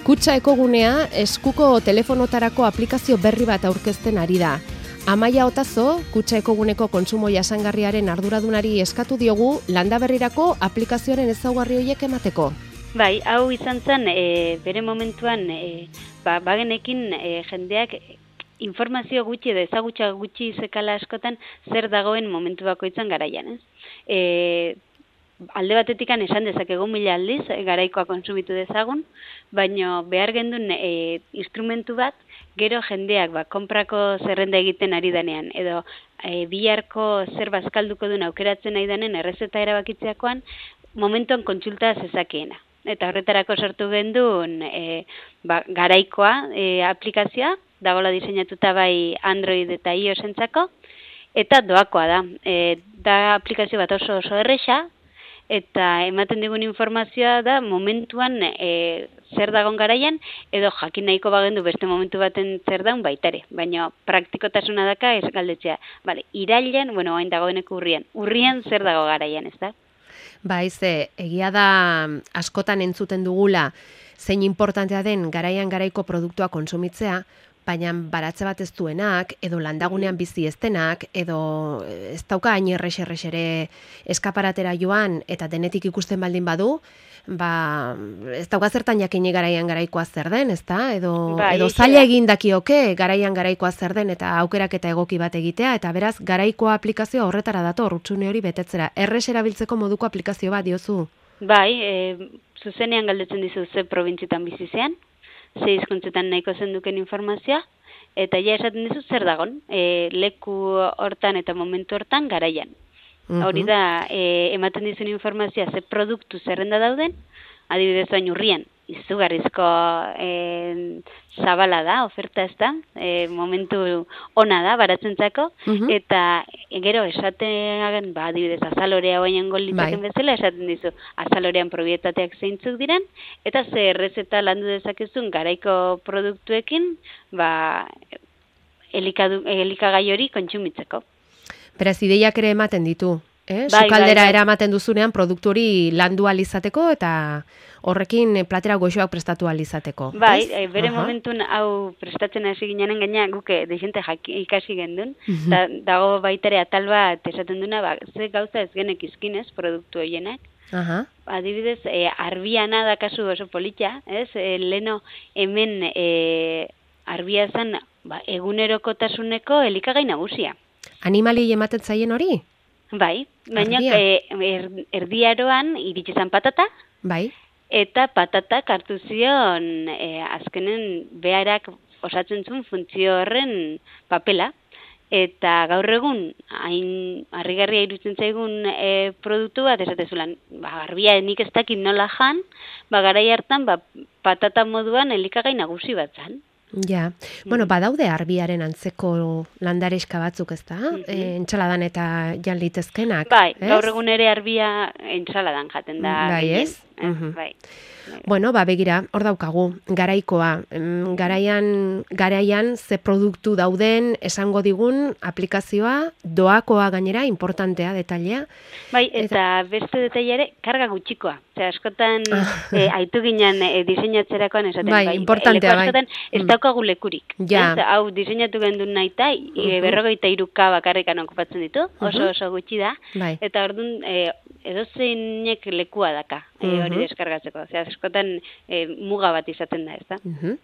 Kutxa Ekogunea eskuko telefonotarako aplikazio berri bat aurkezten ari da. Amaia Otazo, Kutxa Ekoguneko kontsumo jasangarriaren arduradunari eskatu diogu Landaberrirako aplikazioaren ezaugarri horiek emateko. Bai, hau izan zen, bere momentuan, bagenekin jendeak informazio gutxi edo ezagutza gutxi zekala askotan zer dagoen momentu bakoitzan garaian, ez? Alde batetikan esan dezakegu 1000 aldiz, garaikoa kontsumitu dezagun, baina behar gendun instrumentu bat, gero jendeak konprako zerrenda egiten ari denean, edo biharko zer bazkalduko duen aukeratzen nahi denen errezeta erabakitzeakoan, momentuan kontsulta zezakeena. Eta horretarako sortu gendun garaikoa aplikazioa, dagoela diseinatuta bai Android eta iOS entzako, eta doakoa da. Da aplikazio bat oso erresa, eta ematen digun informazioa da momentuan zer dagoen garaian, edo jakin nahiko bagendu beste momentu baten zer daun baitare. Baina praktikotasuna daka ez galdetzea. Irailean, hain dagoeneko urrian zer dago garaian, ez da? Egia da askotan entzuten dugula zein importantea den garaiko produktua kontsumitzea, baina baratze bat ez duenak, edo landagunean bizi ez denak, edo ez dauka hain errex-ere eskaparatera joan eta denetik ikusten baldin badu, ez dauka zertan jakini garaikoa zer den, ezta? Edo zaila egin dakioke garaikoa zer den eta aukerak eta egoki bat egitea, eta beraz garaikoa aplikazioa horretara dator, hutsune hori betetzera. Errex erabiltzeko moduko aplikazio bat diozu? Bai, zuzenean galdetzen dizu ze probintzitan bizi zean, ze hizkuntzetan nahiko zenduken informazioa, eta ja esaten dizu zer dagon, leku hortan eta momentu hortan garaian. Hori da, ematen dizun informazioa ze produktu zerrenda dauden, adibidez bain urrian, izugarrizko zabala da, oferta ez da, momentu ona da, baratzentzako, eta gero esaten, adibidez azalorea hoainen golditaken bezala, esaten dizu azalorean probietateak zeintzuk diren, eta ze errezeta landu dezakezun garaiko produktuekin, elikagai hori kontsumitzeko. Beraz, ideiak ere ematen ditu, sukaldera eramaten duzunean produktu hori landu alizateko eta horrekin platera goxoak prestatu alizateko. Bai, bere momentun hau prestatzen hasi ginen gaina guke desente ikasi gendun, dago baitere atal bat esaten duna, ze gauza ez genek izkinez produktu horienak. Adibidez, arbiana da kasu oso polita, ez? Leno hemen arbia zen egunerokotasuneko elikagai nagusia. Animali ematen zaien hori? Bai, baina erdiaroan iritsi zen patata, eta patatak hartu zion azkenen beharak osatzen zuen funtzio horren papela, eta gaur egun hain harrigarria iruditzen zaigun produktu bat esatezulan, garbia nik ez dakit nola jan, garai hartan patata moduan elikagai nagusi bat zen. Ja, badaude arbiaren antzeko landareska batzuk, ez da? Entxaladan eta jan litezkenak. Bai, gaur egun ere arbia entxaladan jaten da. Bai, ez? Bai. Begira, hor daukagu, garaikoa. Garaian ze produktu dauden esango digun aplikazioa, doakoa gainera, importantea, detailea. Bai, eta beste detailare, karga gutxikoa. Askotan aitu ginen diseinatzerakoan esaten. Bai, importantea, bai. Askotan ez daukagu lekurik. Hau diseinatu gendun nahi eta 53K bakarrikan okupatzen ditu, oso gutxi da. Eta orduan edozeinek lekua daka hori deskargatzeko. Askotan muga bat izaten da, ez da?